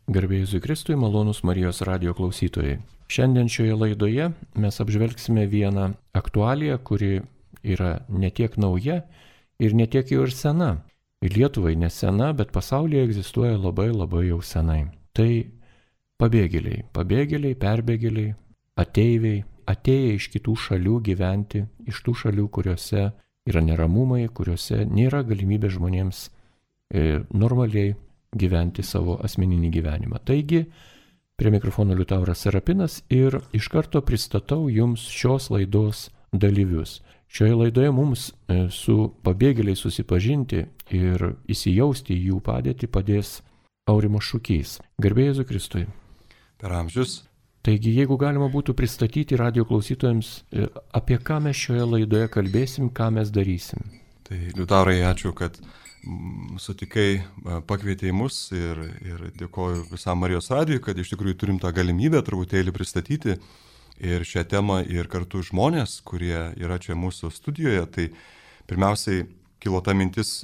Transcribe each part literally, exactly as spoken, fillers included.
Garbė Jėzui Kristui, malonūs Marijos radijo klausytojai. Šiandien šioje laidoje mes apžvelgsime vieną aktualiją, kuri yra ne tiek nauja ir ne tiek jau ir sena. Ir Lietuvai nesena, bet pasaulyje egzistuoja labai labai jau senai. Tai pabėgėliai, pabėgėliai, perbėgėliai, ateiviai, atėję iš kitų šalių gyventi, iš tų šalių, kuriuose yra neramumai, kuriuose nėra galimybė žmonėms e, normaliai gyventi savo asmeninį gyvenimą. Taigi, prie mikrofono Liutauras Serapinas ir iš karto pristatau jums šios laidos dalyvius. Šioje laidoje mums su pabėgėliais susipažinti ir įsijausti į jų padėtį padės Aurimas Šukys. Garbė Jėzui Kristui. Per amžius. Taigi, jeigu galima būtų pristatyti radijo klausytojams, apie ką mes šioje laidoje kalbėsim, ką mes darysim. Tai Liutaurai, ačiū, kad sutikai, pakvietei mus ir, ir dėkoju visam Marijos radijui, kad iš tikrųjų turim tą galimybę truputėlį pristatyti ir šią temą ir kartu žmonės, kurie yra čia mūsų studijoje. Tai pirmiausiai kilo ta mintis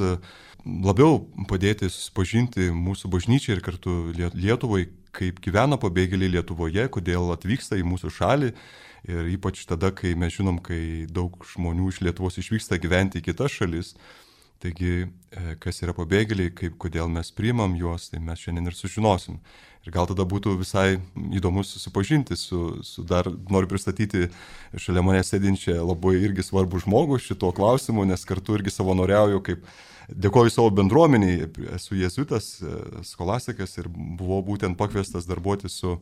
labiau padėti susipažinti mūsų bažnyčiai ir kartu Lietuvai, kaip gyvena pabėgėliai Lietuvoje, kodėl atvyksta į mūsų šalį ir ypač tada, kai mes žinom, kai daug žmonių iš Lietuvos išvyksta gyventi į kitas šalis. Taigi, kas yra pabėgėliai, kaip, kodėl mes priimam juos, tai mes šiandien ir sužinosim. Ir gal tada būtų visai įdomu susipažinti su, su dar, noriu pristatyti šalia mane sėdinčią labai irgi svarbų žmogų šituo klausimu, nes kartu irgi savanoriauju, kaip dėkoju savo bendruomeniai, esu jėzuitas, skolastikas ir buvau būtent pakviestas darbuoti su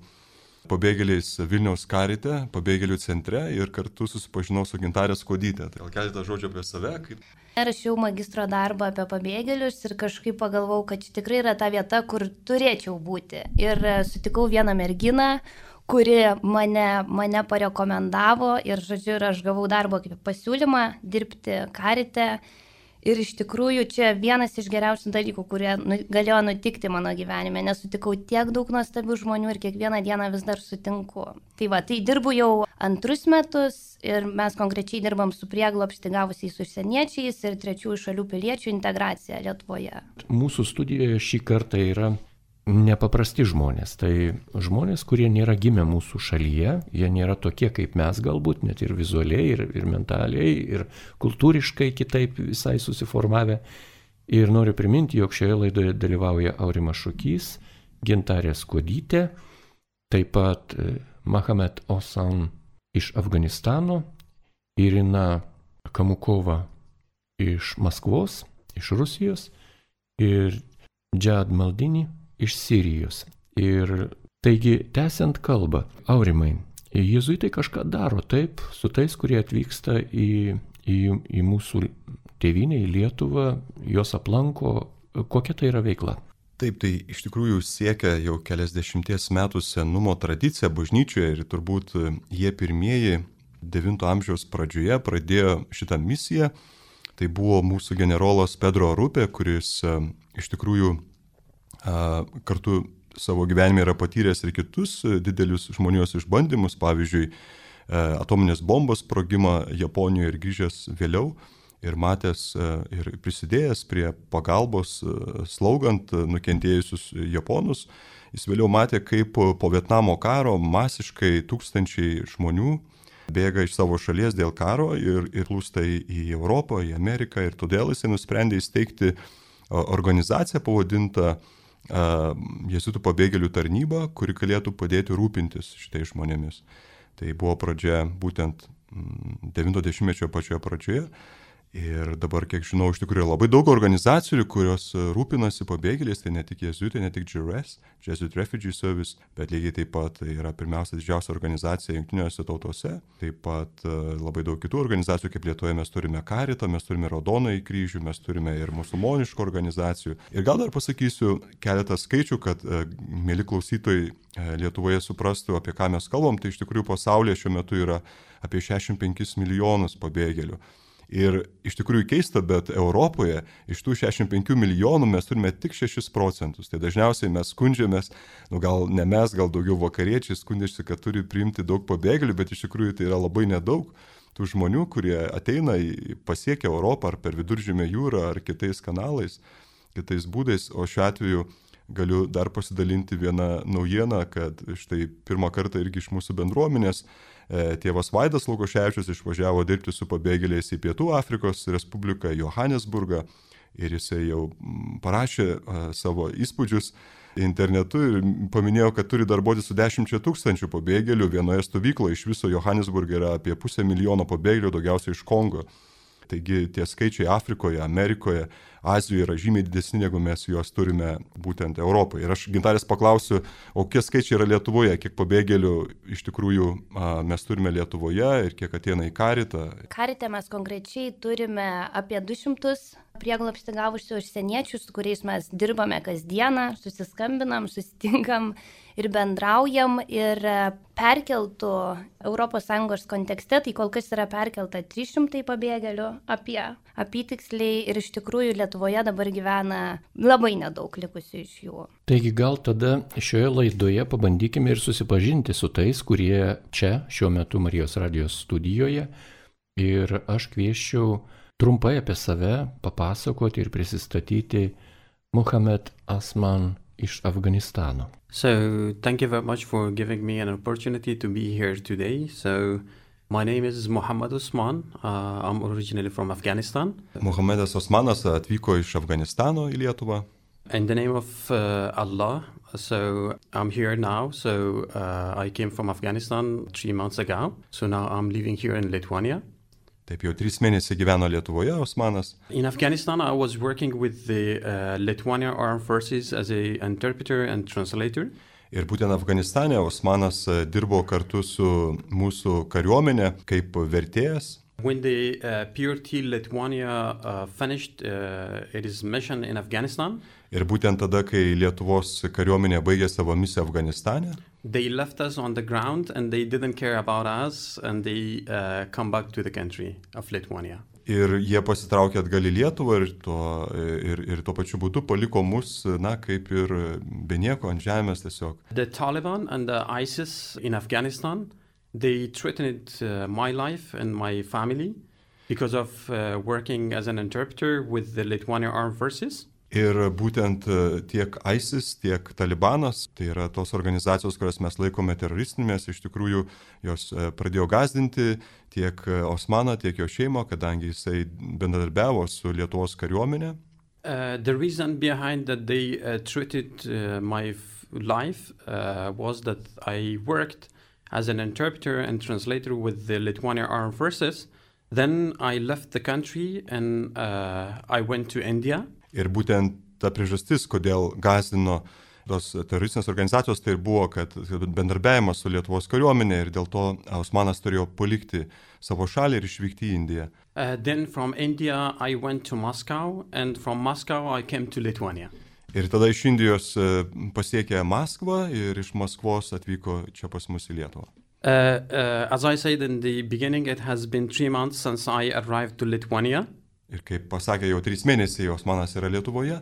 pabėgėliais Vilniaus Karite, pabėgėlių centre ir kartu susipažinau su Gintarė Skuodytė. Tai gal keletą žodžių apie save. Kaip... Rašiau magistro darbą apie pabėgėlius ir kažkaip pagalvojau, kad čia tikrai yra ta vieta, kur turėčiau būti. Ir sutikau vieną merginą, kuri mane, mane parekomendavo ir, žodžiu, ir aš gavau darbo kaip pasiūlymą dirbti Karite. Ir iš tikrųjų čia vienas iš geriausių dalykų, kurie nu, galėjo nutikti mano gyvenime, nes sutikau tiek daug nuostabių žmonių ir kiekvieną dieną vis dar sutinku. Tai va, tai dirbu jau antrus metus ir mes konkrečiai dirbam su prieglobstį gavusiais užsieniečiais ir trečiųjų šalių piliečių integracija Lietuvoje. Mūsų studijoje šį kartą yra nepaprasti žmonės. Tai žmonės, kurie nėra gimę mūsų šalyje, jie nėra tokie kaip mes galbūt, net ir vizualiai, ir, ir mentaliai, ir kultūriškai kitaip visai susiformavę. Ir noriu priminti, jog šioje laidoje dalyvauja Aurimas Šukys, Gintarė Skuodytė, taip pat Mahamet Osan iš Afganistano, Irina Kamukova iš Maskvos, iš Rusijos ir Džad Maldini iš Sirijos. Ir taigi, tęsiant kalbą, Aurimai, jėzuitai kažką daro taip su tais, kurie atvyksta į, į, į mūsų tėvynę, į Lietuvą, jos aplanko, kokia tai yra veikla? Taip, tai iš tikrųjų siekia jau keliasdešimties metų senumo tradicija bažnyčioje ir turbūt jie pirmieji devinto amžiaus pradžioje pradėjo šitą misiją. Tai buvo mūsų generolas Pedro Rupė, kuris iš tikrųjų kartu savo gyvenime yra patyręs ir kitus didelius žmonijos išbandymus, pavyzdžiui, atominės bombos sprogimą Japonijoje ir grįžęs vėliau ir matęs ir prisidėjęs prie pagalbos slaugant nukentėjusius japonus. Jis vėliau matė, kaip po Vietnamo karo masiškai tūkstančiai žmonių bėga iš savo šalies dėl karo ir, ir plūsta į Europą, į Ameriką ir todėl jis nusprendė įsteigti organizaciją pavadintą Jėzuitų pabėgėlių tarnyba, kuri galėtų padėti rūpintis šitais žmonėmis. Tai buvo pradžia būtent devinto dešimtmečio pačioje pradžioje. Ir dabar, kiek žinau, iš tikrųjų labai daug organizacijų, kurios rūpinasi pabėgėliais, tai ne tik jėzuitai, ne tik J R S, Jesuit Refugee Service, bet lygiai taip pat tai yra pirmiausia didžiausia organizacija Jungtinėse tautose. Taip pat labai daug kitų organizacijų, kaip Lietuvoje mes turime Karitą, mes turime Raudonąjį kryžių, mes turime ir musulmoniškų organizacijų. Ir gal dar pasakysiu keletą skaičių, kad mėly klausytojai Lietuvoje suprastų, apie ką mes kalbam. Tai iš tikrųjų pasaulyje šiuo metu yra apie šešiasdešimt penkis milijonus pabėgėlių. Ir iš tikrųjų keista, bet Europoje iš tų šešiasdešimt penkių milijonų mes turime tik šešis procentus. Tai dažniausiai mes skundžiamės, nu gal ne mes, gal daugiau vakariečiai skundžiasi, kad turi priimti daug pabėgėlių, bet iš tikrųjų tai yra labai nedaug tų žmonių, kurie ateina į pasiekę Europą ar per Viduržemio jūrą ar kitais kanalais, kitais būdais, o šiuo atveju galiu dar pasidalinti vieną naujieną, kad štai pirmą kartą irgi iš mūsų bendruomenės tėvas Vaidas Lukoševičius išvažiavo dirbti su pabėgėliais į Pietų Afrikos Respubliką, Johanesburgą, ir jisai jau parašė savo įspūdžius internetu ir paminėjo, kad turi darbuoti su dešimčia tūkstančių pabėgėlių vienoje stovykloje. Iš viso Johanesburge yra apie pusę milijono pabėgėlių, daugiausiai iš Kongo. Taigi tie skaičiai Afrikoje, Amerikoje, Azijoje yra žymiai didesni, negu mes juos turime būtent Europoje. Ir aš Gintarės paklausiu, o kiek skaičiai yra Lietuvoje, kiek pabėgėlių iš tikrųjų a, mes turime Lietuvoje ir kiek ateina į Karitą? Karite mes konkrečiai turime apie du šimtus prieglobstį gavusių užsieniečių, su kuriais mes dirbame kasdieną, susiskambinam, susitinkam ir bendraujam. Ir perkeltų Europos Sąjungos kontekste, tai kol kas yra perkelta trys šimtai pabėgėlių apie apytiksliai, ir iš tikrųjų Lietuvoje dabar gyvena labai nedaug likusių iš jų. Taigi gal tada šioje laidoje pabandykime ir susipažinti su tais, kurie čia šiuo metu Marijos radijos studijoje, ir aš kvieščiau trumpai apie save papasakoti ir prisistatyti Muhammad Asman iš Afganistano. So, thank you very much for giving me an opportunity to be here today. So, my name is Muhammad Osman. Uh, I'm originally from Afghanistan. Muhammadas Osmanas atvyko iš Afganistano į Lietuvą. In the name of uh, Allah, so I'm here now. So, uh, I came from Afghanistan three months ago. So now I'm living here in Lithuania. Taip jau trys mėnesiai gyveno Lietuvoje Osmanas. In Afghanistan, I was working with the uh, Lithuania Armed Forces as an interpreter and translator. Ir būtent Afganistane Osmanas dirbo kartu su mūsų kariuomenė kaip vertėjas. When the uh, P R T Lithuania uh, finished uh, its mission in Afghanistan, ir būtent tada, kai Lietuvos kariuomenė baigė savo misiją Afganistane, they left us on the ground and they didn't care about us and they uh, come back to the country of Lithuania. Ir jie pasitraukė atgal į Lietuvą ir, to, ir, ir tuo pačiu būdu paliko mus, na, kaip ir be nieko ant žemės tiesiog. The Taliban and the ISIS in Afghanistan, they threatened uh, my life and my family because of uh, working as an interpreter with the Lithuania Armed Forces. Ir būtent tiek ISIS, tiek Talibanas, tai yra tos organizacijos, kurias mes laikome teroristinėmis, iš tikrųjų jos pradėjo gąsdinti tiek Osmaną, tiek jo šeimą, kadangi jisai bendradarbiavo su Lietuvos kariuomenė. Uh, the reason behind that they uh, treated uh, my f- life uh, was that I worked as an interpreter and translator with the Lithuania Armed Forces. Then I left the country and uh, I went to India. Ir būtent ta priežastis, kodėl gąsdino tos teroristinės organizacijos, tai buvo, kad bendarbiavimas su Lietuvos kariuomenė, ir dėl to Osmanas turėjo palikti savo šalį ir išvykti į Indiją. Uh, then from India I went to Moscow and from Moscow I came to Lithuania. Ir tada iš Indijos pasiekė Maskvą ir iš Maskvos atvyko čia pas mus į Lietuvą. Uh, uh, as I said in the beginning, it has been three months since I arrived to Lithuania. Ir kaip pasakė, jau trys mėnesiai Osmanas yra Lietuvoje.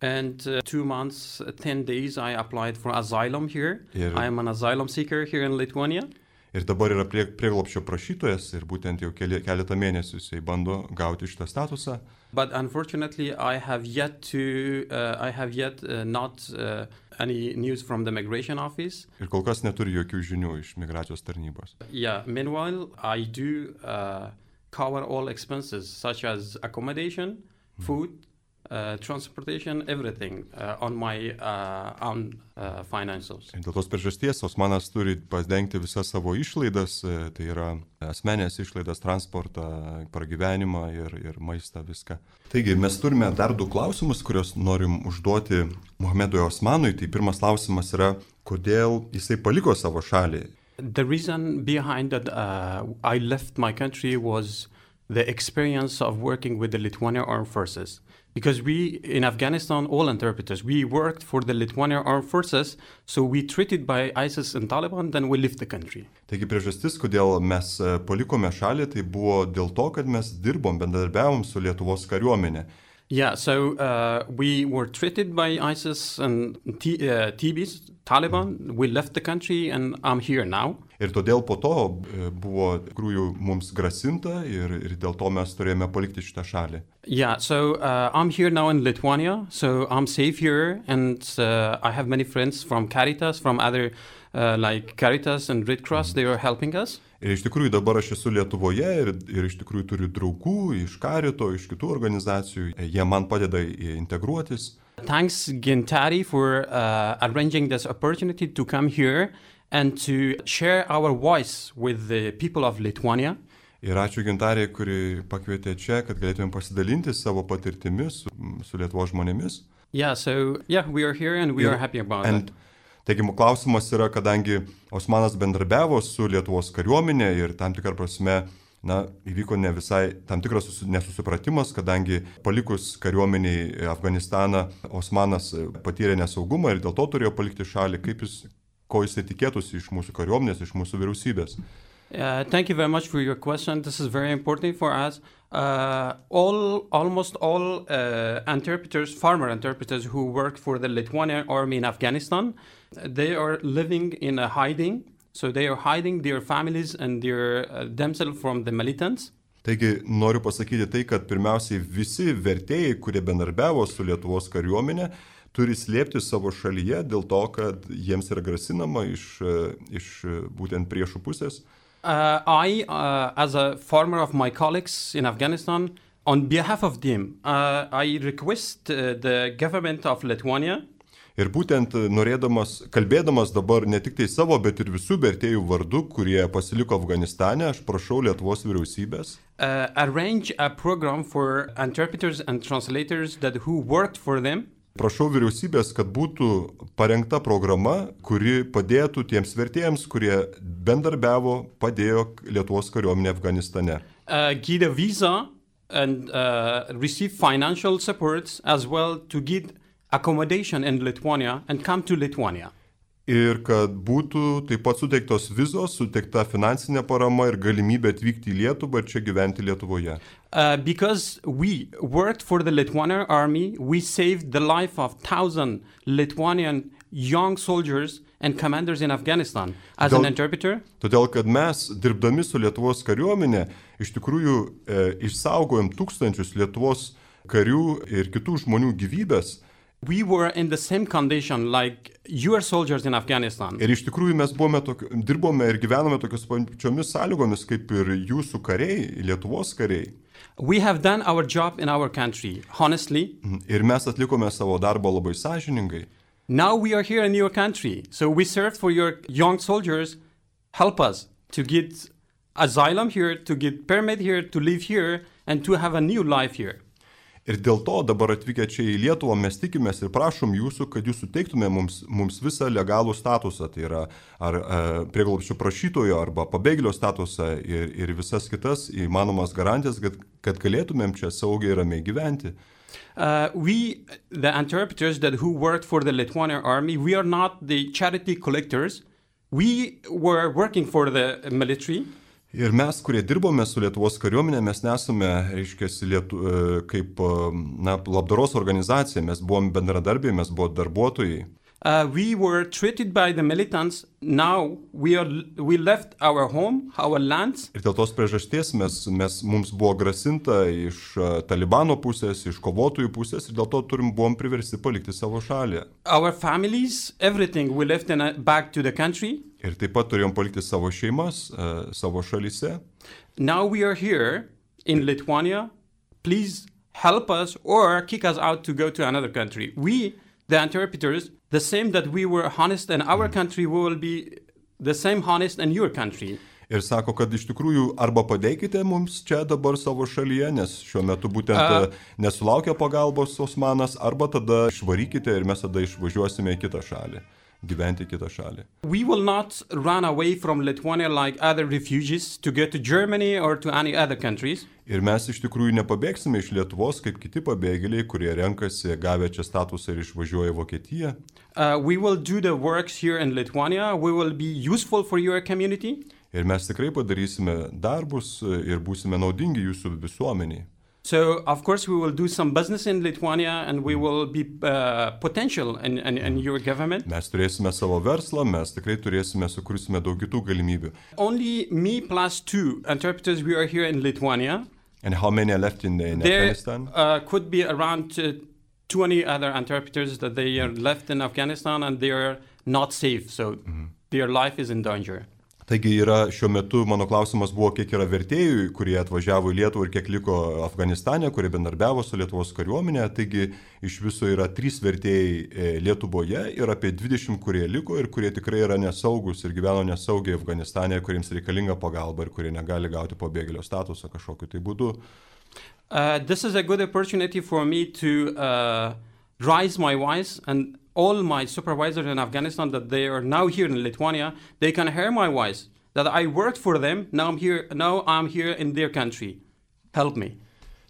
And uh, two months, ten days I applied for asylum here. Ir, I am an asylum seeker here in Lithuania. Ir dabar yra prie, prieglobsčio prašytojas ir būtent jau keli, keletą mėnesių jisai bando gauti šitą statusą. But unfortunately I have yet to, uh, I have yet uh, not uh, any news from the migration office. Ir kol kas neturi jokių žinių iš migracijos tarnybos. Yeah, meanwhile I do uh, cover all expenses such as accommodation, food, uh, transportation, everything uh, on my uh, own uh, financials. Ir dėl tos priežasties Osmanas turi padengti visas savo išlaidas, tai yra asmenės išlaidas, transportą, pragyvenimą ir, ir maistą, viską. Taigi mes turime dar du klausimus, kuriuos norim užduoti Muhammadui Osmanui. Tai pirmas klausimas yra, kodėl jisai paliko savo šalį. The reason behind that uh, I left my country was the experience of working with the Lithuania Armed Forces. Because we, in Afghanistan, all interpreters, we worked for the Lithuania Armed Forces, so we treated by ISIS and Taliban, then we left the country. Taigi priežastis, kodėl mes palikome šalį, tai buvo dėl to, kad mes dirbom, bendradarbiavom su Lietuvos kariuomenė. Yeah, so uh, we were treated by ISIS and T- uh, T B S, Taliban. We left the country and I'm here now. Ir todėl po to buvo tikrųjų mums grasinta ir, ir dėl to mes turėjome palikti šitą šalį. Yeah, so uh, I'm here now in Lithuania, so I'm safe here, and uh, I have many friends from Caritas, from other uh, like Caritas and Red Cross, they are helping us. Ir iš tikrųjų dabar aš esu Lietuvoje ir, ir iš tikrųjų turiu draugų iš Karito, iš kitų organizacijų, jie man padeda integruotis. Thanks Gintari for uh, arranging this opportunity to come here and to share our voice with the people of Lithuania. Ir ačiū Gintarė, kuri pakvietė čia, kad galėtumėm pasidalinti savo patirtimis su, su Lietuvos žmonėmis. Yeah, so yeah, we are here and we ir, are happy about and, it. Taigi, klausimas yra, kadangi Osmanas bendrabiavo su Lietuvos kariuomenė ir tam tikrą prasme, na, įvyko ne visai tam tikras nesusipratimas, kadangi palikus kariuomeniai Afganistaną, Osmanas patyrė nesaugumą ir dėl to turėjo palikti šalį, kaip jis, ko jis tikėtųsi iš mūsų kariuomenės, iš mūsų vyriausybės. Uh, thank you very much for your question. This is very important for us. Uh, all, almost all uh, interpreters, farmer interpreters who work for the Lithuanian army in Afghanistan, they are living in a hiding. So they are hiding their families and their uh, themselves from the militants. Taigi noriu pasakyti tai, kad pirmiausiai visi vertėjai, kurie bendarbiavo su Lietuvos kariuomenė, turi slėpti savo šalyje dėl to, kad jiems yra grasinama iš, iš būtent priešų pusės. Uh, I, uh, as a former of my colleagues in Afghanistan, on behalf of them, uh, I request uh, the government of Lithuania. Ir būtent norėdamas, kalbėdamas dabar ne tik tai savo, bet ir visų vertėjų vardu, kurie pasiliko Afganistane, aš prašau Lietuvos vyriausybės. Uh, arrange a program for interpreters and translators that who worked for them. Prašau vyriausybės, kad būtų parengta programa, kuri padėtų tiems vertėjams, kurie bendarbiavo, padėjo Lietuvos kariuomenė Afganistane. Uh, get a visa and uh, receive financial support as well to get accommodation in Lithuania and come to Lithuania. Ir kad būtų taip pat suteiktos vizos, suteikta finansinė parama ir galimybė atvykti į Lietuvą ir čia gyventi Lietuvoje. Uh, because we worked for the Lithuanian army, we saved the life of thousand Lithuanian young soldiers and commanders in Afghanistan as Todėl, an interpreter. Todėl, kad mes, dirbdami su Lietuvos kariuomenė, iš tikrųjų e, išsaugojom tūkstančius Lietuvos karių ir kitų žmonių gyvybės. We were in the same condition like your soldiers in Afghanistan. Ir iš tikrųjų mes buvome tokio, dirbome ir gyvenome tokios pačiomis sąlygomis kaip ir jūsų kariai, Lietuvos kariai. We have done our job in our country, honestly. Ir mes atlikome savo darbą labai sąžiningai. Now we are here in your country, so we served for your young soldiers. Help us to get asylum here, to get permit here, to live here, and to have a new life here. Ir dėl to dabar atvykę čia į Lietuvą mes tikimės ir prašom jūsų, kad jūs suteiktume mums, mums visą legalų statusą, tai yra ar e, prieglobsčio prašytojo arba pabėgėlio statusą ir, ir visas kitas įmanomas garantijas, kad, kad galėtumėm čia saugiai ir ramiai gyventi. Uh, we, the interpreters that who worked for the Lithuanian army, we are not the charity collectors. We were working for the military. Ir mes, kurie dirbome su Lietuvos kariuomenė, mes nesame, reiškia, Lietu, kaip na, labdaros organizacija, mes buvom bendradarbiai, mes buvom darbuotojai. Uh, we were treated by the militants. Now we are we left our home, our lands. Ir dėl tos priežasties mes, mes, mums buvo grasinta iš Talibano pusės, iš kovotojų pusės ir dėl to turim buvom priversti palikti savo šalį. Our families, everything, we left in a, back to the country. Ir taip pat turėjom palikti savo šeimas, uh, savo šalyse. Now we are here in Lithuania. Please help us or kick us out to go to another country. We, the interpreters, the same that we were honest in our country, we will be the same honest in your country. Ir sako, kad iš tikrųjų arba padėkite mums čia dabar savo šalyje, nes šiuo metu būtent uh, nesulaukia pagalbos Osmanas, arba tada išvarykite ir mes tada išvažiuosime į kitą šalį, gyventi į kitą šalį. We will not run away from Lithuania like other refugees to go to Germany or to any other countries. Ir mes iš tikrųjų nepabėgsime iš Lietuvos kaip kiti pabėgėliai, kurie renkasi gavę čia statusą ir išvažiuoja į Vokietiją. Uh, we will do the works here in Lithuania. We will be useful for your community. Ir mes tikrai padarysime darbus ir būsime naudingi jūsų visuomeniai. So, of course, we will do some business in Lithuania and we will be uh, potential in, in, in your government. Mes turėsime savo verslą, mes tikrai turėsime, sukursime daug kitų galimybių. Only me plus two interpreters we are here in Lithuania. And how many are left in, in Afghanistan? There uh, could be around uh, twenty other interpreters that they are left in Afghanistan and they are not safe, so mm-hmm. their life is in danger. Taigi yra šiuo metu, mano klausimas buvo, kiek yra vertėjų, kurie atvažiavo į Lietuvą ir kiek liko Afganistane, kurie bendarbiavo su Lietuvos kariuomenė. Taigi iš viso yra trys vertėjai Lietuvoje ir apie dvidešimt, kurie liko ir kurie tikrai yra nesaugus ir gyveno nesaugiai Afganistane, kuriems reikalinga pagalba ir kurie negali gauti pabėgėlio statusą kažkokiu tai būdu. Uh, this is a good opportunity for me to uh, raise my voice and all my supervisors in Afghanistan that they are now here in Lithuania, they can hear my voice, that I worked for them, now I'm here, now I'm here in their country. Help me.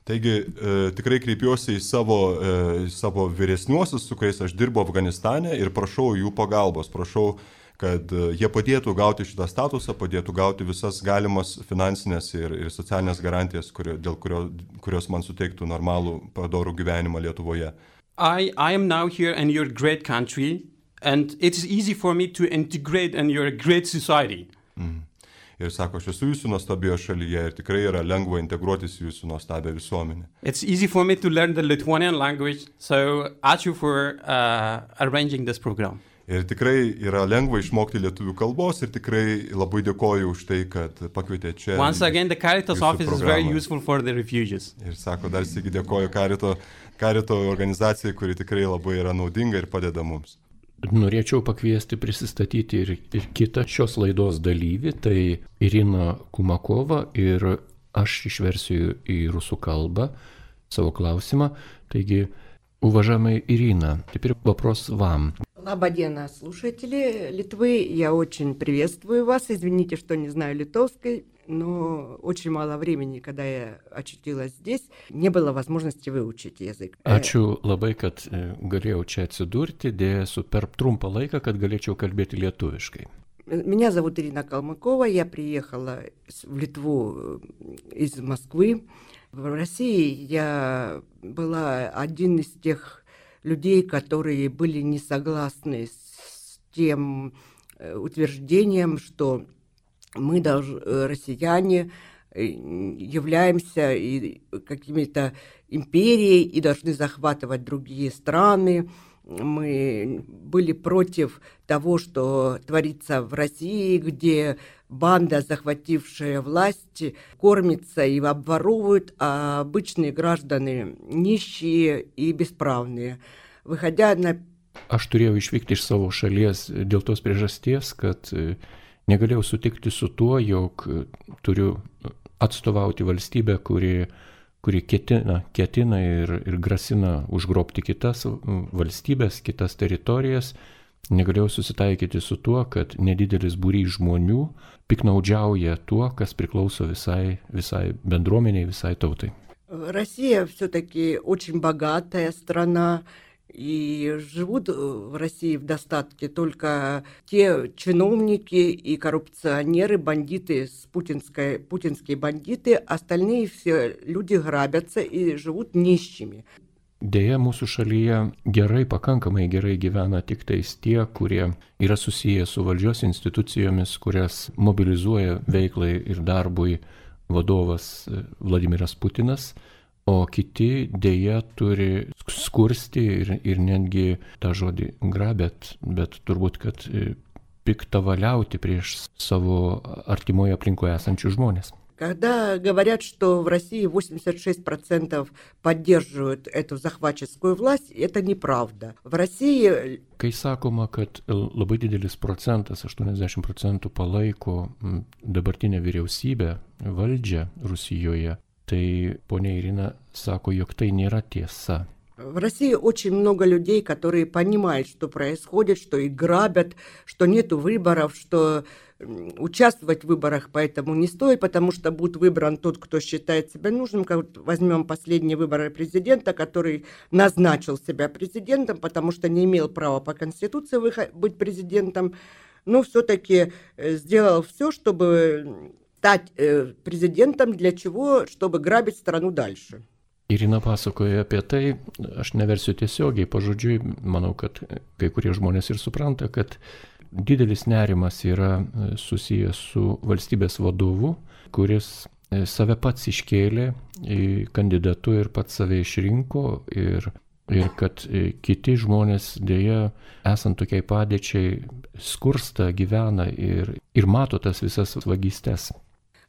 Taigi e, tikrai kreipiuosi į savo, e, savo vyresniuosius, su kuriais aš dirbu Afganistane ir prašau jų pagalbos, prašau, kad e, jie padėtų gauti šitą statusą, padėtų gauti visas galimas finansinės ir, ir socialinės garantijas, kurio, dėl kurio, kurios man suteiktų normalų, padorų gyvenimą Lietuvoje. I, I am now here in your great country, and it's easy for me to integrate in your great society. Mm. Ir sako, aš esu jūsų nuostabioje šalyje ir tikrai yra lengva integruotis į jūsų nuostabią visuomenę. It's easy for me to learn the Lithuanian language, so ačiū for uh, arranging this program. Ir tikrai yra lengva išmokti lietuvių kalbos ir tikrai labai dėkoju už tai, kad pakvietė čia. Once again, the Caritas office programą. Is very useful for the refugees. Ir sako, dar sėki dėkoju Carito, Carito organizacijai, kuri tikrai labai yra naudinga ir padeda mums. Norėčiau pakviesti prisistatyti ir, ir kitą šios laidos dalyvį, tai Irina Kumakova, ir aš išversiu į rusų kalbą savo klausimą. Таки, уважаемая Ирина, теперь вопрос вам. Лабадена, слушатели Литвы, я очень приветствую вас. Извините, что не знаю литовской, но очень мало времени, когда я очутилась здесь, не было возможности выучить язык. Ačiū labai, kad galėjau čia atsidurti, dėja su per trumpą laiką, kad galėčiau kalbėti lietuviškai. Меня зовут Ирина Калмыкова, я приехала в Литву из Москвы. В России я была один из тех людей, которые были не согласны с тем утверждением, что мы, должны, россияне, являемся какими-то империей и должны захватывать другие страны. Мы были против того, что творится в России, где банда, захватившая власть, кормится и обворовывает, а обычные граждане нищие и бесправные. Выходя на... Aš turėjau išvykti iš savo šalies dėl tos priežasties, kad negalėjau sutikti su tuo, jog turiu atstovauti valstybę, kuri kuri ketina, ketina ir, ir grasina užgrobti kitas valstybės, kitas teritorijas. Negalėjau susitaikyti su tuo, kad nedidelis būrys žmonių piknaudžiauja tuo, kas priklauso visai, visai bendruomeniai, visai tautai. Россия все-таки очень богатая страна, и живут в России в достатке только те чиновники и коррупционеры, бандиты, с путинской, путинские бандиты, остальные все люди грабятся и живут нищими. Deja, mūsų šalyje gerai, pakankamai gerai gyvena tik tais tie, kurie yra susiję su valdžios institucijomis, kurias mobilizuoja veiklai ir darbui vadovas Vladimiras Putinas, o kiti dėja turi skursti ir, ir netgi tą žodį grabėt, bet turbūt, kad piktavaliauti prieš savo artimoje aplinkoje esančius žmonės. Когда говорят, что в России восемьдесят шесть процентов поддерживают эту захватческую власть, это неправда. В России... Kai sakoma, kad labai didelis procentas, aštuoniasdešimt procentų palaiko dabartinę vyriausybę, valdžią Rusijoje, tai ponia Irina sako, jog tai nėra tiesa. В России очень много людей, которые понимают, что происходит, что их грабят, что нету выборов, что участвовать в выборах поэтому не стоит, потому что будет выбран тот, кто считает себя нужным. Как возьмем последние выборы президента, который назначил себя президентом, потому что не имел права по Конституции быть президентом, но все-таки сделал все, чтобы стать президентом, для чего? Чтобы грабить страну дальше. Irina pasakoja apie tai, aš neversiu tiesiogiai, pažodžiui, manau, kad kai kurie žmonės ir supranta, kad didelis nerimas yra susijęs su valstybės vadovu, kuris save pats iškėlė kandidatu ir pats save išrinko ir, ir kad kiti žmonės dėja, esant tokiai padėčiai, skursta, gyvena ir, ir mato tas visas vagystes.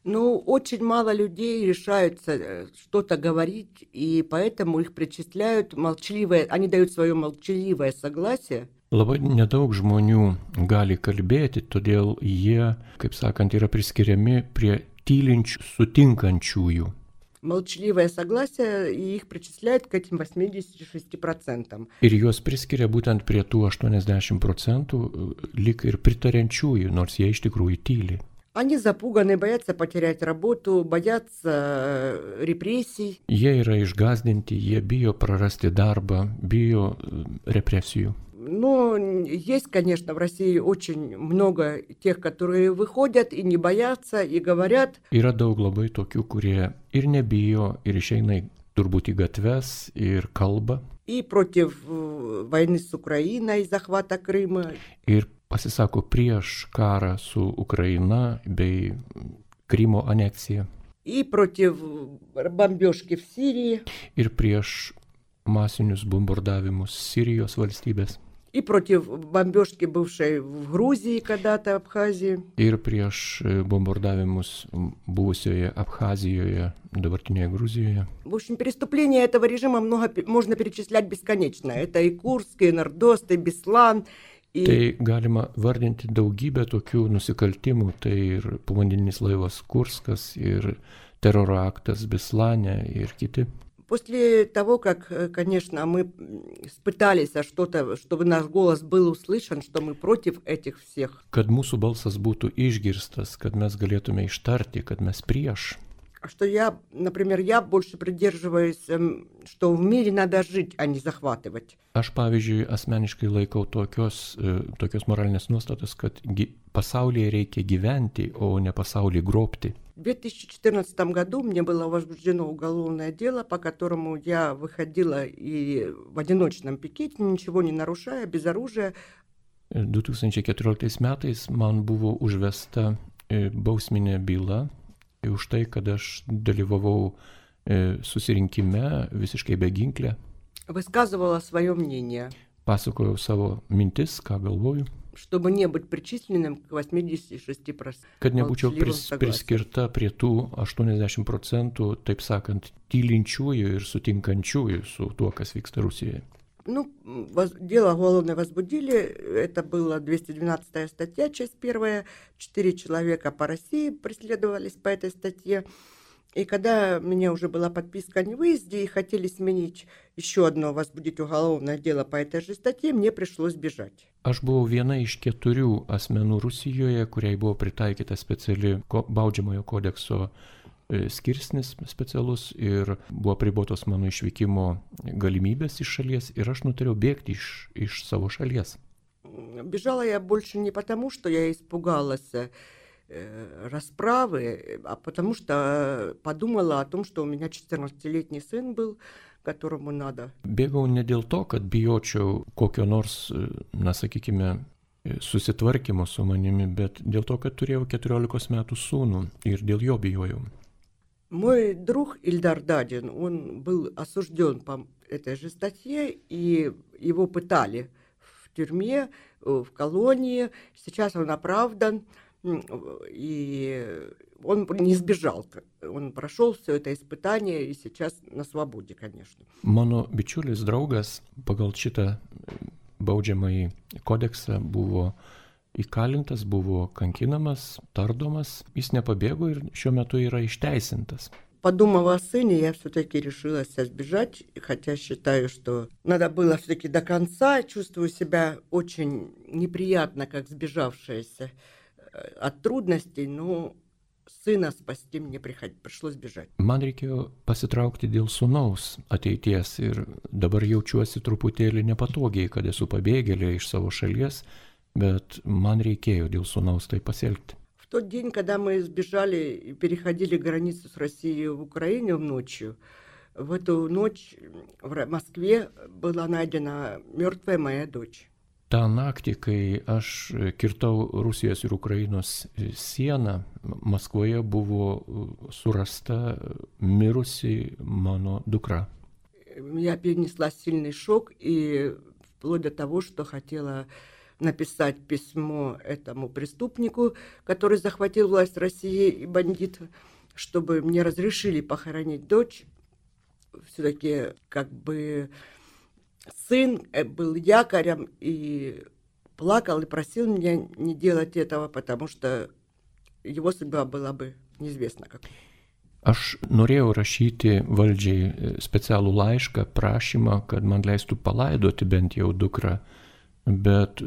Ну, очень мало людей решаются что-то говорить, и поэтому их причисляют молчаливое, они дают свое молчаливое согласие. Labai nedaug žmonių gali kalbėti, todėl jie, kaip sakant, yra priskiriami prie tylinčių, sutinkančiųjų. Молчаливое согласие, и их причисляют к этим восьмидесяти шести процентам. Ir juos priskiria būtent prie tų aštuoniasdešimt procentų lyg ir pritariančiųjų, nors jie iš tikrųjų tyli. Они запуганы, боятся потерять работу, боятся репрессий. Jie yra išgąsdinti, jie bijo prarasti darbą, bijo represijų. Но есть, конечно, в России очень много тех, которые выходят и не боятся, и говорят. Yra daug labai tokių, kurie ir nebijo, ir išeina turbūt į gatves, ir kalba. И против войны с Украиной, и захвата Крыма. Ir pasisako prieš karą su Ukraina bei Krymo aneksiją. И против бомбежки в Сирии. Ir prieš masinius bombardavimus Sirijos valstybės. И против бомбежки, бывшей в Грузии когда-то, Абхазии. Ir prieš bombardavimus buvusioje Abhazijoje, dabartinėje Gruzijoje. В общем, преступления этого режима много, можно перечислять бесконечно. Это и Курск, и Нордост, и Беслан. И... Tai galima vardinti daugybę tokių nusikaltimų, tai ir povandeninis laivas Kurskas, ir teroro aktas Beslane, ir kiti. После того, как, конечно, мы пытались что-то, чтобы наш голос был услышан, что мы против этих всех. Kad mūsų balsas būtų išgirstas, kad mes galėtume ištarti, kad mes prieš. Что я, например, я больше придерживаюсь, что в мире надо жить, а не захватывать. Aš, pavyzdžiui, asmeniškai laikau tokios, tokios moralinės nuostatos, kad pasaulyje reikia gyventi, o ne pasaulį grobti. В две тысячи четырнадцатом году мне было возбуждено уголовное дело, по которому я выходила и в одиночном пикете, ничего не нарушая, без оружия. du tūkstančiai keturioliktais metais man buvo užvesta bausminė byla už tai, kad aš dalyvavau susirinkime visiškai be ginklę. Высказывала свое мнение. Pasakojau savo mintis, ką galvoju. Чтобы не быть причисленным к восьмидесяти шести процентам. Kad nebūčiau pris, priskirta prie tų aštuoniasdešimt procentų, taip sakant, tylinčiųjų ir sutinkančiųjų su tuo, kas vyksta Rusijoje. Ну, воз, дело уголовное возбудили, это была двести двенадцатая статья, часть первая, четыре человека по России преследовались по этой статье. И когда у меня уже была подписка о невыезде и хотели сменить еще одно, возбудить уголовное дело по этой же статье, мне пришлось бежать. Aš buvau viena iš keturių asmenų Rusijoje, kuriai buvo pritaikyta speciali baudžiamojo kodekso skirsnis specialus ir buvo pribotos mano išvykimo galimybės iš šalies ir aš nutariau bėgti iš, iš savo šalies. Бежала я больше не потому, что я испугалась расправы, а потому что подумала о том, что у меня четырнадцатилетний сын был, которому надо. Bėgau ne dėl to, kad bijočiau kokio nors, na sakykime, susitvarkymo su manimi, bet dėl to, kad turėjau keturiolikos metų sūnų ir dėl jo bijojau. Мой друг Ильдар Дадин, он был осужден по этой же статье, и его пытали в тюрьме, в колонии. Сейчас он оправдан. И он не сбежал, он прошел все это испытание и сейчас на свободе, конечно. Mano bičiulis draugas pagal šitą baudžiamąjį kodeksą buvo įkalintas, buvo kankinamas, tardomas, jis nepabėgo ir šiuo metu yra išteisintas. Подумав о сыне, я все-таки решилась сбежать, хотя считаю, что надо было все-таки до конца, чувствую себя очень неприятно, как сбежавшаяся от трудностей, но сына спасти мне пришлось бежать. Man reikėjo pasitraukti dėl sūnaus ateities ir dabar jaučiuosi truputėlį nepatogiai, kad esu pabėgėlė iš savo šalies, bet man reikėjo dėl sūnaus tai pasielgti. В тот день, когда мы сбежали и переходили границу с Россией в Украину ночью, в эту ночь в Москве была найдена мертвая моя дочь. Ta naktį, kai aš kirtau Rusijos ir Ukrainos sieną, Maskvoje buvo surasta mirusi mano dukra. Я перенесла сильный шок и вплоть до того, что хотела написать письмо этому преступнику, который захватил власть России и бандит, чтобы мне разрешили похоронить дочь. Все-таки как бы сын был якорем и плакал и просил меня не делать этого, потому что его судьба была бы неизвестна как. Aš norėjau rašyti valdžiai specialų laišką, prašymą, kad man leistų palaidoti bent jau dukrą, bet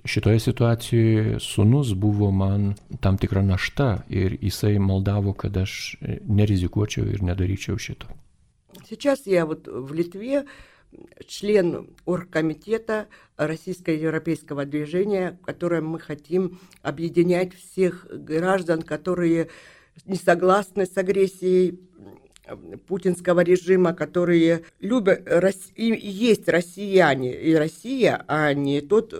šitoje situacijoje sūnus buvo man tam tikra našta ir jisai maldavo, kad aš nerizikuočiau ir nedaryčiau šito. Сейчас я вот в Литве член оргкомитета Российско-Европейского движения, в котором мы хотим объединять всех граждан, которые не согласны с агрессией путинского режима, которые любят, и есть россияне и Россия, а не тот,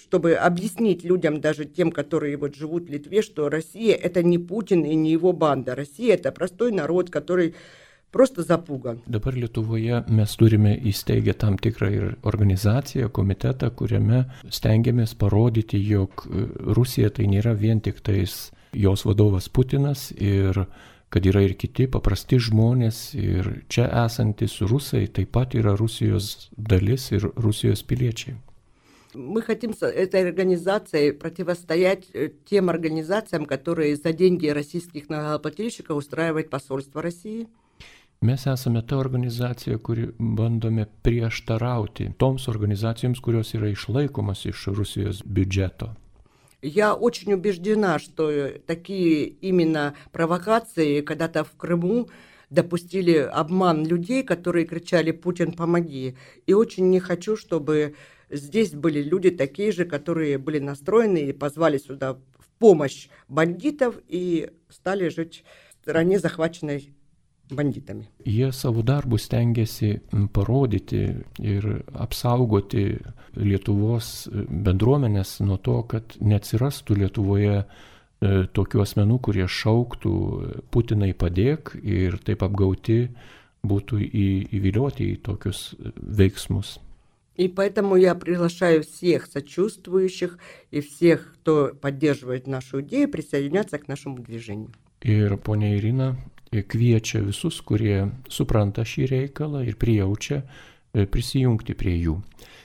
чтобы объяснить людям, даже тем, которые вот живут в Литве, что Россия — это не Путин и не его банда. Россия — это простой народ, который просто запуgan. Dabar Lietuvoje mes turime įsteigę tam tikrą ir organizaciją, komitetą, kuriame stengiamės parodyti, jog Rusija tai nėra vien tik tais jos vadovas Putinas ir kad yra ir kiti paprasti žmonės ir čia esantis rusai taip pat yra Rusijos dalis ir Rusijos piliečiai. Мы хотим с этой организацией противостоять тем организациям, которые за деньги российских налогоплательщиков устраивают посольство России. Mes esame ta organizacija, kuri bandome prieštarauti toms organizacijoms, kurios yra išlaikomas iš Rusijos biudžeto. Я очень убеждена, что такие именно провокации когда-то в Крыму допустили обман людей, которые кричали «Путин, помоги!». И очень не хочу, чтобы здесь были люди такие же, которые были настроены и позвали сюда в помощь бандитов и стали жить в стране, захваченной banditami. Jie savo darbus stengiasi parodyti ir apsaugoti Lietuvos bendruomenės nuo to, kad neatsirastų Lietuvoje tokių asmenų, kurie šauktų Putinai padėk ir taip apgauti būtų įvilioti į tokius veiksmus. И поэтому я приглашаю всех сочувствующих и всех, кто поддерживает нашу идею, присоединяться к нашему движению. Ir ponia Irina kviečia visus, kurie supranta šį reikalą ir prijaučia, prisijungti prie jų.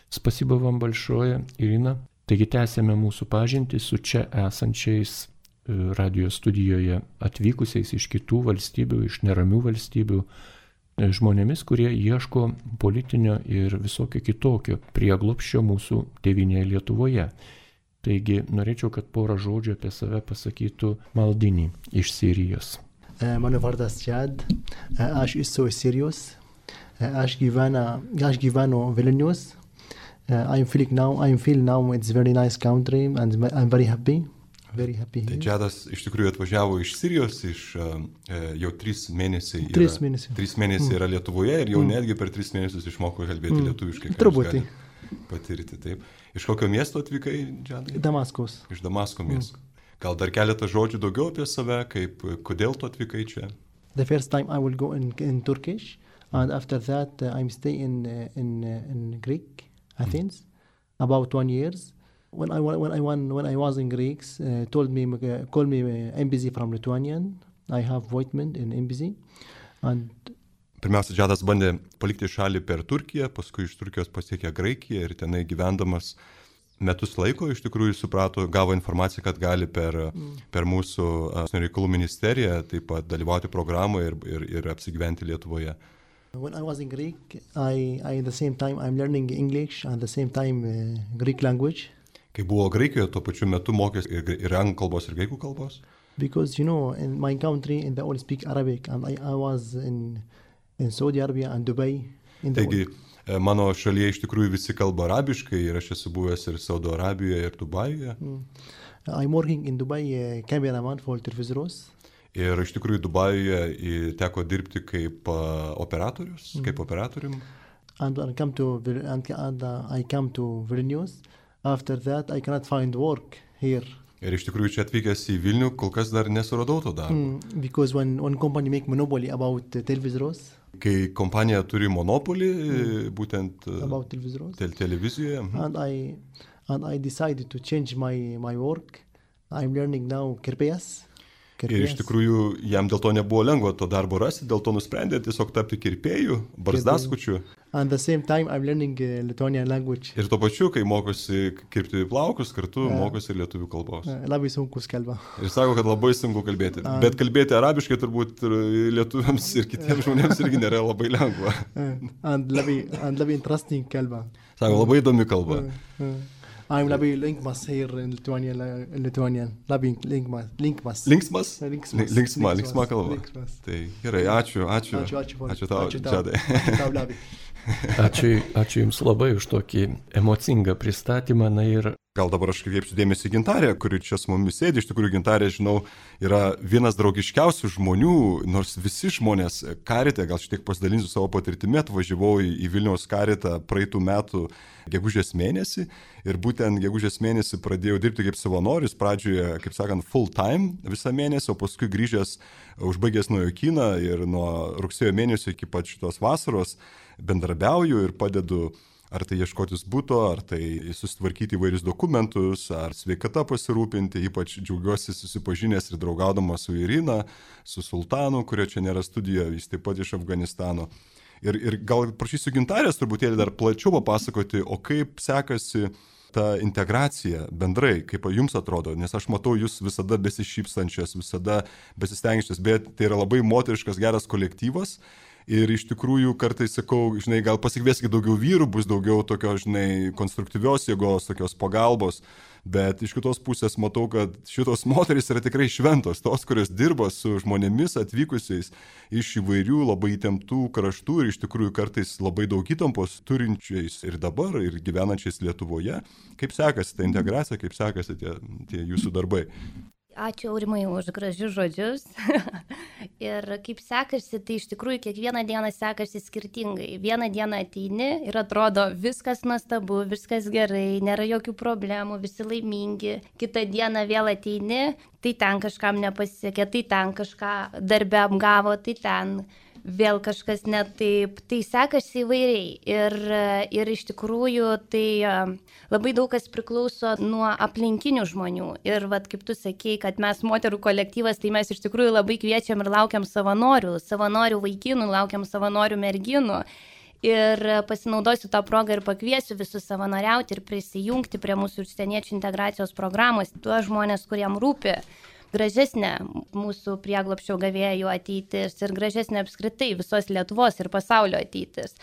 Spasiba vam большое, Irina. Taigi tęsėme mūsų pažintį su čia esančiais radio studijoje atvykusiais iš kitų valstybių, iš neramių valstybių, žmonėmis, kurie ieško politinio ir visokio kitokio prieglobsčio mūsų tėvynėje Lietuvoje. Taigi norėčiau, kad porą žodžių apie save pasakytų Maldini iš Sirijos. Mano vardas Jad, aš esu Sirijos, aš gyvenu, aš gyvenu Vilnius. I'm feeling now, I'm feeling now it's a very nice country and I'm very happy. Very happy here. Tai Džadas iš tikrųjų atvažiavo iš Sirijos, iš jau tris mėnesiai yra, tris mėnesiai. Tris mėnesiai yra Lietuvoje ir jau mm. netgi per tris mėnesius išmoko kalbėti mm. lietuviškai. Truputį. Patirti, taip. Iš kokio miesto atvykai, Džadai? Damaskus. Iš Damasko miesto. Mm. Gal dar keletą žodžių daugiau apie save, kaip, kodėl tu atvykai čia? The first time I will go in, in Turkish and after that uh, I'm stay in in in Greek, Athens, mm. about one years. When I when I when I was in Greeks, uh, told me uh, call me uh, embassy from Lithuanian. I have appointment in embassy, and Pirmiausia, Džadas bandė palikti šalį per Turkiją, paskui iš Turkijos pasiekė Graikiją ir tenai gyvendamas metus laiko iš tikrųjų suprato, gavo informaciją, kad gali per, mm. per mūsų uh, reikalų ministeriją taip pat dalyvauti programoje ir, ir, ir apsigyventi Lietuvoje. When I was in Greek, I, I at the same time I'm learning English and at the same time uh, Greek language. Kai buvo Graikijoje, tuo pačiu metu mokėsi ir, ir anglų kalbos, ir graikų kalbos? Because, you know, in my country, in the all speak Arabic, and I, I was in, in Saudi Arabia and Dubai. In Taigi, all... mano šalyje iš tikrųjų visi kalba arabiškai ir aš esu buvęs ir Saudo Arabijoje, ir Dubajuje. Mm. I'm working in Dubai uh, cameraman for Televizros. Ir iš tikrųjų Dubajuje teko dirbti kaip operatorius, mm. kaip operatorium. And I come to and, and uh, I come to Vilnius. After that, I cannot find work here. Ir iš tikrųjų čia atvykęs į Vilnių, kol kas dar nesuradau to darbo. Mm, because when one company make monopoly about uh, televisors. Kai kompanija turi monopolį, mm. būtent about televisors. Te televizijoje. And I and I decided to change my my work. I'm learning now kirpėjas. Ir iš tikrųjų jam dėl to nebuvo lengva to darbo rasti, dėl to nusprendė tiesiog tapti kirpėjų, barzdaskučiu. And the same time I'm learning uh, Lithuanian language. Ir tuo pačiu, kai mokosi kirpti plaukus, kartu uh, mokosi lietuvių kalbos. Uh, labai sunkus kalba. Ir sako, kad labai sunku kalbėti. Uh, Bet kalbėti arabiškai turbūt lietuviams ir kitiems žmonėms irgi nėra labai lengva. Uh, and labai, and labai interesting kalba. Sako, labai įdomi kalba. Uh, uh. I'm labai linksmas here in Lithuanian, in Lithuanian. Labai linksmas. Linksmas? Linksmas? Linksmas. Linksma, linksma kalba. Linksmas. Tai gerai, ačiū, ačiū. Ačiū, ačiū. Ačiū tau, Džadai. Ačiū tau, Labai. Ačiū, ačiū Jums labai už tokį emocingą pristatymą. Na ir gal dabar aš kreipsiu dėmesį į Gintarę, kuri čia su mumis sėdi. Iš tikrųjų, Gintarė, žinau, yra vienas draugiškiausių žmonių, nors visi žmonės Karite, gal šiek tiek pasidalinsiu savo patirtimi, atvažiavau į Vilniaus Karitą praeitų metų gegužės mėnesį ir būtent gegužės mėnesį pradėjau dirbti kaip savanoris, pradžioje, kaip sakant, full time visą mėnesį, o paskui grįžęs, užbaigęs naujokyną ir nuo rugsėjo mėnesio iki pat šitos vasaros bendrabiauju ir padedu ar tai ieškotis būto, ar tai susitvarkyti įvairius dokumentus, ar sveikata pasirūpinti. Ypač džiaugiuosi susipažinęs ir draugaudamas su Irina, su Sultanu, kurio čia nėra studijoje, jis taip pat iš Afganistano. Ir, ir gal prašysiu Gintarės truputėlį dar plačiau papasakoti, o kaip sekasi ta integracija bendrai, kaip jums atrodo, nes aš matau jūs visada besišypsančias, visada besistengiančias, bet tai yra labai moteriškas geras kolektyvas. Ir iš tikrųjų kartais sakau, žinai, gal pasikvieskite daugiau vyrų, bus daugiau tokios, žinai, konstruktyvios jėgos, tokios pagalbos, bet iš kitos pusės matau, kad šitos moterys yra tikrai šventos, tos, kurios dirba su žmonėmis atvykusiais iš įvairių labai įtemptų kraštų ir iš tikrųjų kartais labai daug įtampos turinčiais ir dabar, ir gyvenančiais Lietuvoje. Kaip sekasi ta integracija, kaip sekasi tie, tie jūsų darbai? Ačiū Aurimai už gražius žodžius. Ir kaip sekasi, tai iš tikrųjų kiekvieną dieną sekasi skirtingai. Vieną dieną ateini ir atrodo viskas nuostabu, viskas gerai, nėra jokių problemų, visi laimingi. Kitą dieną vėl ateini, tai ten kažkam nepasisekė, tai ten kažką darbe apgavo, tai ten vėl kažkas ne taip, tai sekasi įvairiai. Ir, ir iš tikrųjų tai labai daug kas priklauso nuo aplinkinių žmonių. Ir vat, kaip tu sakei, kad mes moterų kolektyvas, tai mes iš tikrųjų labai kviečiam ir laukiam savanorių, savanorių vaikinų, laukiam savanorių merginų. Ir pasinaudosiu tą progą ir pakviesiu visus savanoriauti ir prisijungti prie mūsų užsieniečių integracijos programos, tuos žmonės, kuriem rūpi gražesnė mūsų prieglobsčio gavėjų ateitis ir gražesnė apskritai visos Lietuvos ir pasaulio ateitis.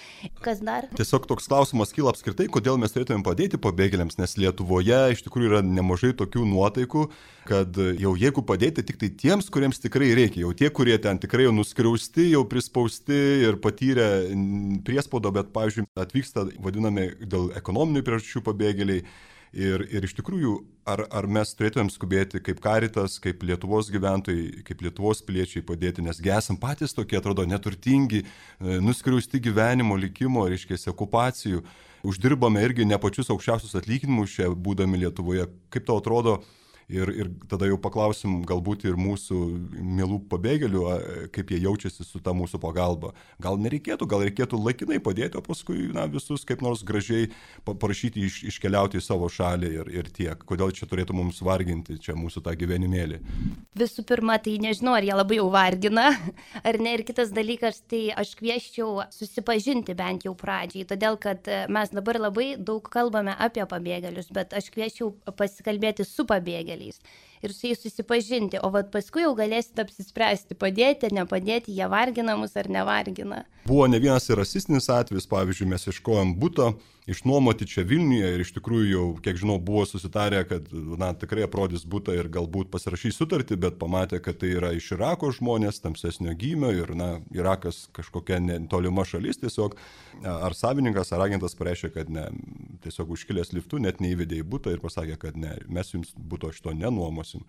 Kas dar? Tiesiog toks klausimas kyla apskritai, kodėl mes turėtume padėti pabėgėliams, nes Lietuvoje iš tikrųjų yra nemažai tokių nuotaikų, kad jau jeigu padėti tik tai tiems, kuriems tikrai reikia, jau tie, kurie ten tikrai jau nuskriausti, jau prispausti ir patyrę priespaudą, bet, pavyzdžiui, atvyksta vadinami dėl ekonominių priežasčių pabėgėliai. Ir, ir iš tikrųjų, ar, ar mes turėtumėm skubėti kaip Karitas, kaip Lietuvos gyventojai, kaip Lietuvos piliečiai padėti, nesgi esam patys tokie, atrodo, neturtingi, nuskriausti gyvenimo, likimo, reiškia, okupacijų, uždirbame irgi ne pačius aukščiausius atlyginimus čia būdami Lietuvoje. Kaip tau atrodo? Ir, ir tada jau paklausim galbūt ir mūsų mielų pabėgėlių, kaip jie jaučiasi su ta mūsų pagalba. Gal nereikėtų, gal reikėtų laikinai padėti, o paskui na, visus kaip nors gražiai parašyti iš, iškeliauti į savo šalį ir, ir tiek. Kodėl čia turėtų mums varginti čia mūsų tą gyvenimėlį? Visų pirma, tai nežinau, ar jie labai jau vargina, ar ne. Ir kitas dalykas, tai aš kvieščiau susipažinti bent jau pradžiai, todėl kad mes dabar labai daug kalbame apie pabėgėlius, bet aš kvieščiau pasikalbėti su pabėgėliais ir su jais susipažinti, o vat paskui jau galėsite apsispręsti, padėti ar nepadėti, jie vargina mus ar nevargina. Buvo ne vienas ir rasistinis atvejis, pavyzdžiui, mes ieškojom buto išnuomoti čia Vilniuje ir iš tikrųjų jau, kiek žinau, buvo susitarę, kad na, tikrai aprodys butą ir galbūt pasirašys sutartį, bet pamatė, kad tai yra iš Irako žmonės, tamsesnio gymio ir na, Irakas kažkokia netolima šalis tiesiog. Ar savininkas, ar agentas pareiškė, kad ne, tiesiog užkilęs liftu net neįvedė į butą ir pasakė, kad ne, mes jums buto šito nenuomos. klausimų.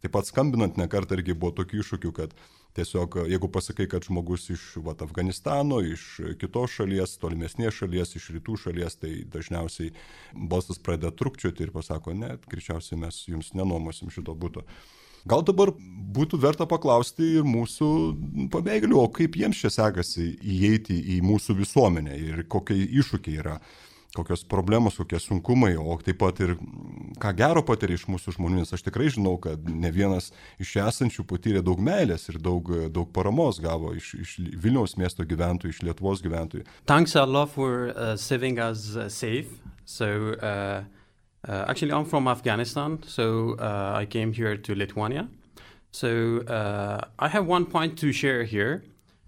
Taip pat skambinant nekart irgi buvo tokių iššūkių, kad tiesiog jeigu pasakai, kad žmogus iš vat, Afganistano, iš kitos šalies, tolimesnės šalies, iš rytų šalies, tai dažniausiai balsas pradeda trukčioti ir pasako, ne, greičiausiai mes jums nenuomosim šito buto. Gal dabar būtų verta paklausti ir mūsų pabėgėlių, o kaip jiems čia sekasi įeiti į mūsų visuomenę ir kokie iššūkiai yra, kokios problemos, kokie sunkumai, o taip pat ir ką gero patiria iš mūsų žmonių, nes aš tikrai žinau, kad ne vienas iš esančių patyrė daug meilės ir daug, daug paramos gavo iš, iš Vilniaus miesto gyventojų, iš Lietuvos gyventojų. Thanks a lot for uh, saving us uh, safe. So, uh... Uh, actually, I'm from Afghanistan, so uh, I came here to Lithuania. So uh, I have one point to share here.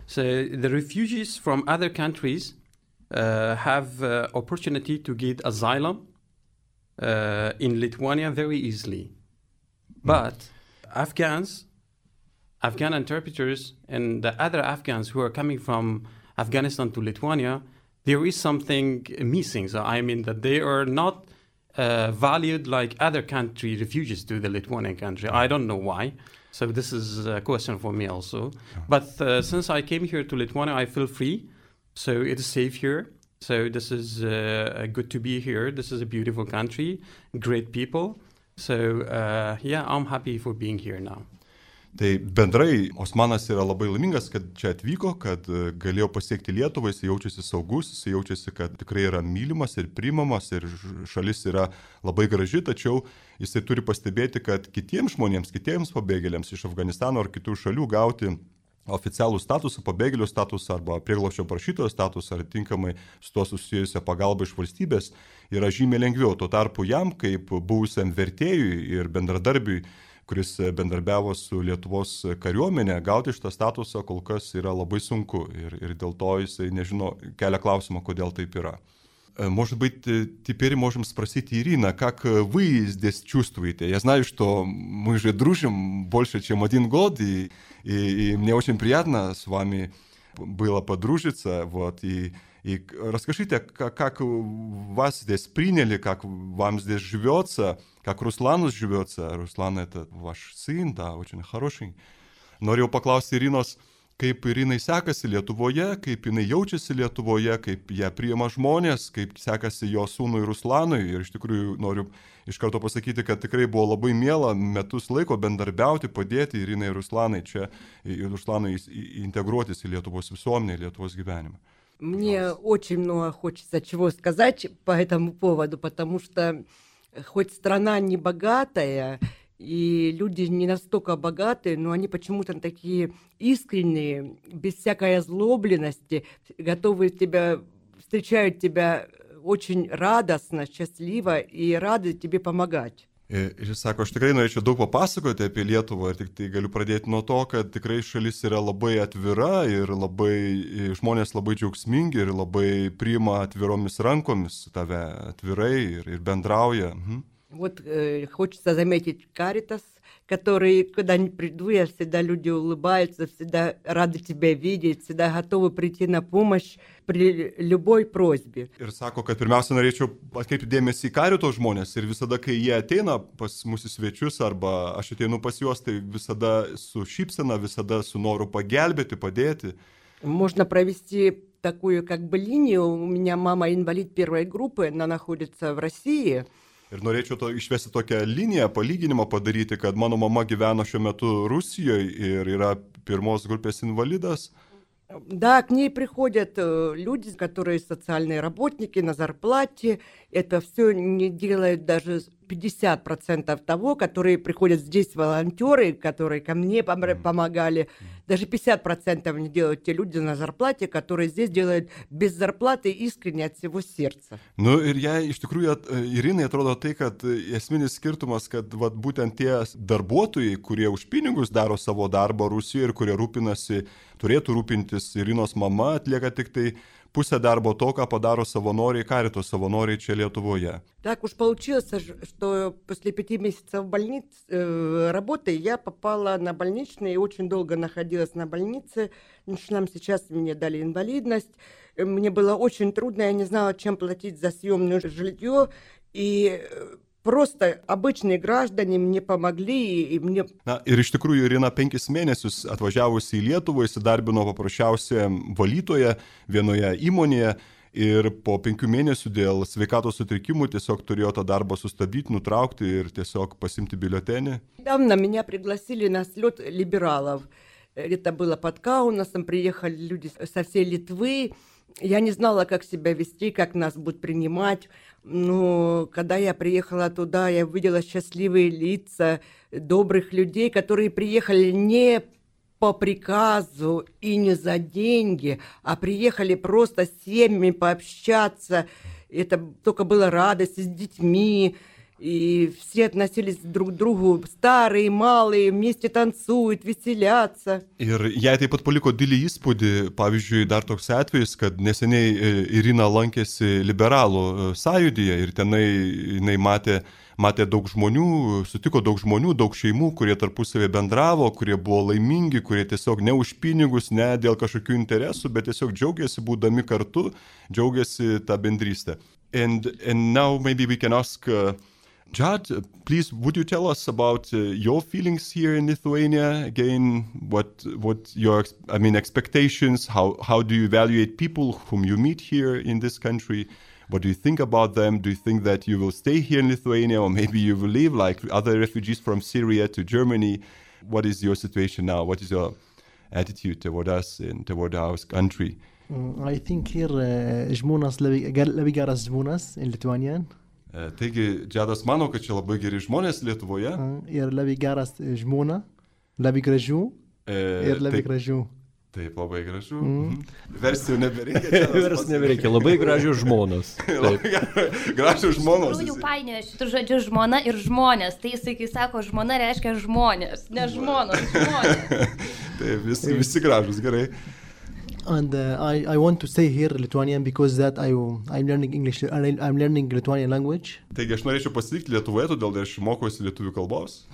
So the refugees from other countries uh, have uh, opportunity to get asylum uh, in Lithuania very easily. But Afghans, Afghan interpreters, and the other Afghans who are coming from Afghanistan to Lithuania, there is something missing. So I mean that they are not Uh, valued like other country refugees to the Lithuanian country. I don't know why. So this is a question for me also. Yeah. But uh, since I came here to Lithuania, I feel free. So it is safe here. So this is uh, good to be here. This is a beautiful country, great people. So uh, yeah, I'm happy for being here now. Tai bendrai Osmanas yra labai laimingas, kad čia atvyko, kad galėjo pasiekti Lietuvą, jis jaučiasi saugus, jis jaučiasi, kad tikrai yra mylimas ir priimamas ir šalis yra labai graži, tačiau jisai turi pastebėti, kad kitiems žmonėms, kitiems pabėgėliams iš Afganistano ar kitų šalių gauti oficialų statusą, pabėgėlių statusą arba prieglobsčio prašytojo statusą ar tinkamai su to susijusią pagalbą iš valstybės yra žymiai lengviau. Tuo tarpu jam, kaip buvusiam vertėjui ir bendradarbiui, kuris bendarbiavo su Lietuvos kariuomenė, gauti šitą statusą kol kas yra labai sunku ir, ir dėl to jisai nežino, kelia klausimą, kodėl taip yra. Может быть, теперь можем спросить Ирина, как вы здесь чувствуете? Я знаю, что мы же дружим больше, чем один год, и, и, и мне очень приятно с вами было подружиться, вот, и И расскажите, как, как вас здесь приняли, как вам здесь живется, как Руслану живется. Руслан — это ваш сын, да, очень хороший. Norėjau paklausti Irinos, kaip Irinai sekasi Lietuvoje, kaip jinai jaučiasi Lietuvoje, kaip ją priima žmonės, kaip sekasi jo sūnui Ruslanui. Ir iš tikrųjų noriu iš karto pasakyti, kad tikrai buvo labai miela metus laiko bendarbiauti, padėti Irinai ir Ruslanai čia, ir Ruslanui integruotis į Lietuvos visuomenę, į Lietuvos gyvenimą. Мне очень много хочется чего сказать по этому поводу, потому что хоть страна не богатая, и люди не настолько богатые, но они почему-то такие искренние, без всякой озлобленности, готовы тебя, встречают тебя очень радостно, счастливо и рады тебе помогать. Ir jis sako, aš tikrai norėčiau daug papasakoti apie Lietuvą ir tik tai galiu pradėti nuo to, kad tikrai šalis yra labai atvira ir labai, žmonės labai džiaugsmingi ir labai priima atviromis rankomis tave atvirai ir, ir bendrauja. Mhm. Вот э, хочется заметить Каритас, которые, когда не приду, я всегда люди улыбаются, всегда рады тебя видеть, всегда готовы прийти на помощь при любой просьбе. Ir sako, kad pirmiausia norėčiau atkreipti dėmesį į Karito žmonės ir visada, kai jie ateina pas mūsų svečius arba aš ateinu pas juos, tai visada su šypsena, visada su noru pagelbėti, padėti. Можно провести такую как бы линию. У меня мама инвалид первой группы, она находится в России. Ir norėčiau to, išvesti tokią liniją, palyginimą padaryti, kad mano mama gyveno šiuo metu Rusijoje ir yra pirmos grupės invalidas. Да, к ней приходят люди, которые социальные работники на зарплате. Это все не делают даже пятьдесят процентов того, которые приходят здесь волонтеры, которые ко мне помогали. Даже пятьдесят процентов не делают те люди на зарплате, которые здесь делают без зарплаты искренне от всего сердца. Nu ir jai iš tikrųjų Irinai atrodo tai, kad esminis skirtumas, kad vat, būtent tie darbuotojai, kurie už pinigus daro savo darbą Rusijoje ir kurie rūpinasi, turėtų rūpintis Irinos mama, atlieka tik tai pusę darbo to, ką padaro savanoriai, Karito savanoriai čia Lietuvoje. Так уж получилось, что после пяти месяцев больниц, э, работы я попала на больничный и очень долго находилась на больнице. Нам сейчас мне дали инвалидность. Мне было очень трудно, я не знала, чем платить за съемное жилье. И просто обычные граждане мне помогли и мне... Na, ir iš tikrųjų Irina penkis mėnesius atvažiavusi į Lietuvą įsidarbino paprasčiausia valytoje vienoje įmonėje ir po penkių mėnesių dėl sveikatos sutrikimų tiesiog turėjo tą darbą sustabdyti, nutraukti ir tiesiog pasimti biuletenį. Недавно меня пригласили на слет либералов. Это было под Каунасом, приехали люди со всей Литвы. Я не знала, как себя вести, как нас будут принимать. Но когда я приехала туда, я увидела счастливые лица добрых людей, которые приехали не по приказу и не за деньги, а приехали просто с семьями пообщаться. Это только была радость с детьми. И все относились друг к другу, старые, малые, вместе танцуют, веселятся. Ir jai taip pat paliko didelį įspūdį, pavyzdžiui, dar toks atvejis, kad neseniai Irina lankėsi liberalų sąjūdyje ir tenai jinai matė, matė daug žmonių, sutiko daug žmonių, daug šeimų, kurie tarpusavį bendravo, kurie buvo laimingi, kurie tiesiog ne už pinigus, ne dėl kažkokių interesų, bet tiesiog džiaugiasi būdami kartu, džiaugiasi tą bendrystę. And, and now maybe we can ask... Uh, Jad, please, would you tell us about uh, your feelings here in Lithuania? Again, what what your I mean expectations? How how do you evaluate people whom you meet here in this country? What do you think about them? Do you think that you will stay here in Lithuania, or maybe you will leave like other refugees from Syria to Germany? What is your situation now? What is your attitude toward us and toward our country? Mm, I think here uh, žmonės labai, labai geras žmonės in Lithuanian. Taigi, Džadas mano, kad čia labai geri žmonės Lietuvoje. Ir labai geras žmona, labai gražių ir labai taip, gražių. Taip, labai gražių. Mm. Versijų nebereikia. Versijų nebereikia, labai gražių žmonos. Gražių žmonos. Iš tikrųjų painioja šitų žodžių žmona ir žmonės. Tai jisai, kai sako žmona, reiškia žmonės, ne žmonos, žmonės. Taip, visi, visi gražus, gerai. And uh, I, I want to stay here Lithuanian because that I, I'm learning English, I'm learning Lithuanian language. Taigi aš norėčiau pasilikti Lietuvoje, todėl aš mokuosi lietuvių kalbos.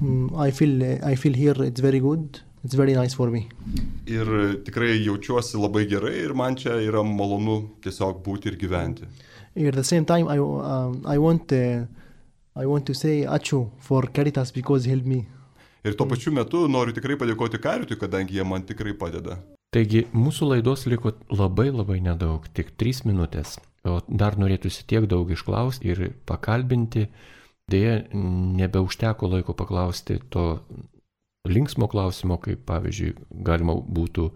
Mm, I feel I feel here it's very good. It's very nice for me. Ir tikrai jaučiuosi labai gerai ir man čia yra malonu tiesiog būti ir gyventi. At the same time I um, I want uh, I want to say ačiū for Caritas because he helped me. Ir tuo pačiu metu noriu tikrai padėkoti Caritui, kadangi jie man tikrai padeda. Taigi, mūsų laidos liko labai labai nedaug, tik trys minutės, o dar norėtųsi tiek daug išklausti ir pakalbinti. Deja, nebeužteko laiko paklausti to linksmo klausimo, kaip pavyzdžiui, galima būtų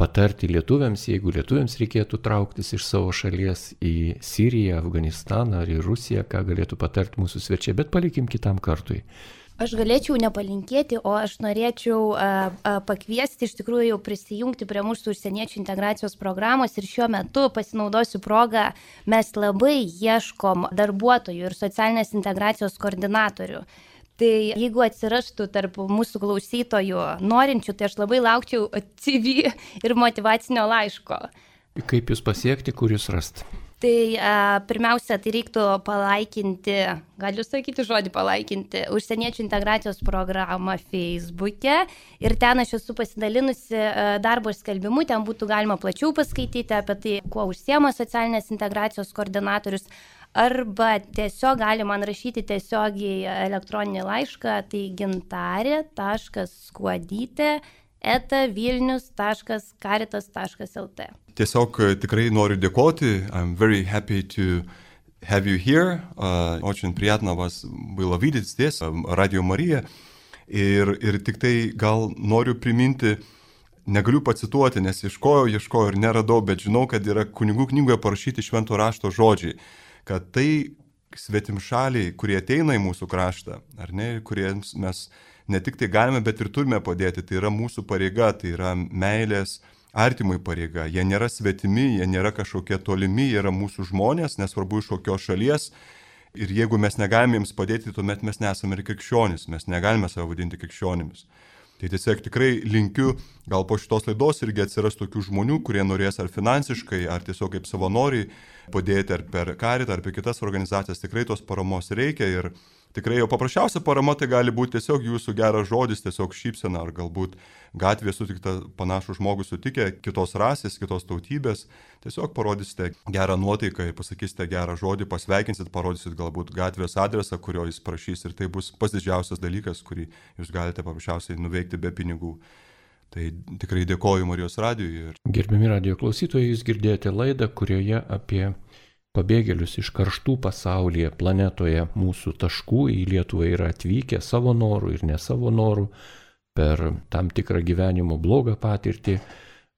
patarti lietuviams, jeigu lietuviams reikėtų trauktis iš savo šalies į Siriją, Afganistaną ar į Rusiją, ką galėtų patarti mūsų svečiai, bet palikim kitam kartui. Aš galėčiau nepalinkėti, o aš norėčiau a, a, pakviesti iš tikrųjų prisijungti prie mūsų užsieniečių integracijos programos ir šiuo metu pasinaudosiu progą, mes labai ieškom darbuotojų ir socialinės integracijos koordinatorių. Tai jeigu atsirastų tarp mūsų klausytojų norinčių, tai aš labai laukčiau C V ir motyvacinio laiško. Kaip jūs pasiekti, kur jūs rasti? Tai a, pirmiausia, tai reiktų palaikinti, galiu sakyti žodį palaikinti, užsieniečių integracijos programą Facebook'e ir ten aš esu pasidalinusi a, darbo skelbimu, ten būtų galima plačiau paskaityti apie tai, kuo užsiema socialinės integracijos koordinatorius, arba tiesiog gali man rašyti tiesiogiai elektroninį laišką, tai gintarė taškas skuodytė eta vilnius taškas caritas taškas el t. Tiesiog tikrai noriu dėkoti. I'm very happy to have you here. Uh, очень приятно вас было видеть здесь, Radio Marija. Ir, ir tik tai gal noriu priminti, negaliu pacituoti, nes ieškojau, ieškojau ir neradau, bet žinau, kad yra kunigų knygoje parašyti švento rašto žodžiai, kad tai svetimšaliai, kurie ateina į mūsų kraštą, ar ne, kuriems mes ne tik tai galime, bet ir turime padėti, tai yra mūsų pareiga, tai yra meilės artimui pareiga. Jie nėra svetimi, jie nėra kažkokie tolimi, jie yra mūsų žmonės, nesvarbu iš kokios šalies. Ir jeigu mes negalime jiems padėti, tuomet mes nesame ir krikščionys, mes negalime save vadinti krikščionimis. Tai tiesiog tikrai linkiu, gal po šitos laidos irgi atsiras tokių žmonių, kurie norės ar finansiškai, ar tiesiog kaip savanoriai padėti ar per Caritą, ar per kitas organizacijas. Tikrai tos paramos reikia ir tikrai jau paprasčiausia parama tai gali būti tiesiog jūsų geras žodis, tiesiog šypsena, ar galbūt gatvėje sutikta panašų žmogų sutikę, kitos rasės, kitos tautybės, tiesiog parodysite gerą nuotaiką ir pasakysite gerą žodį, pasveikinsit, parodysit galbūt gatvės adresą, kurio jis prašys, ir tai bus pats didžiausias dalykas, kurį jūs galite paprasčiausiai nuveikti be pinigų. Tai tikrai dėkoju Marijos radijui. Gerbiami radijo klausytojai, jūs girdėjote laidą, kurioje apie pabėgėlius iš karštų pasaulyje, planetoje mūsų taškų į Lietuvą yra atvykę savo norų ir ne savo norų, per tam tikrą gyvenimo blogą patirtį.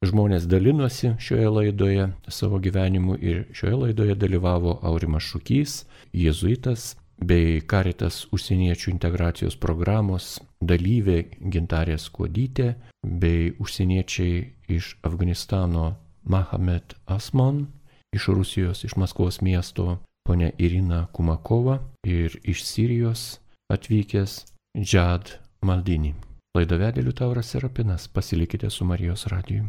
Žmonės dalinosi šioje laidoje savo gyvenimu ir šioje laidoje dalyvavo Aurimas Šukys, jėzuitas, bei Caritas užsieniečių integracijos programos dalyvė Gintarė Skuodytė, bei užsieniečiai iš Afganistano Mahamet Asman, iš Rusijos, iš Maskvos miesto ponia Irina Kumakova ir iš Sirijos atvykęs Džad Maldini. Laidą vedė Liutauras Serapinas. Pasilikite su Marijos radiju.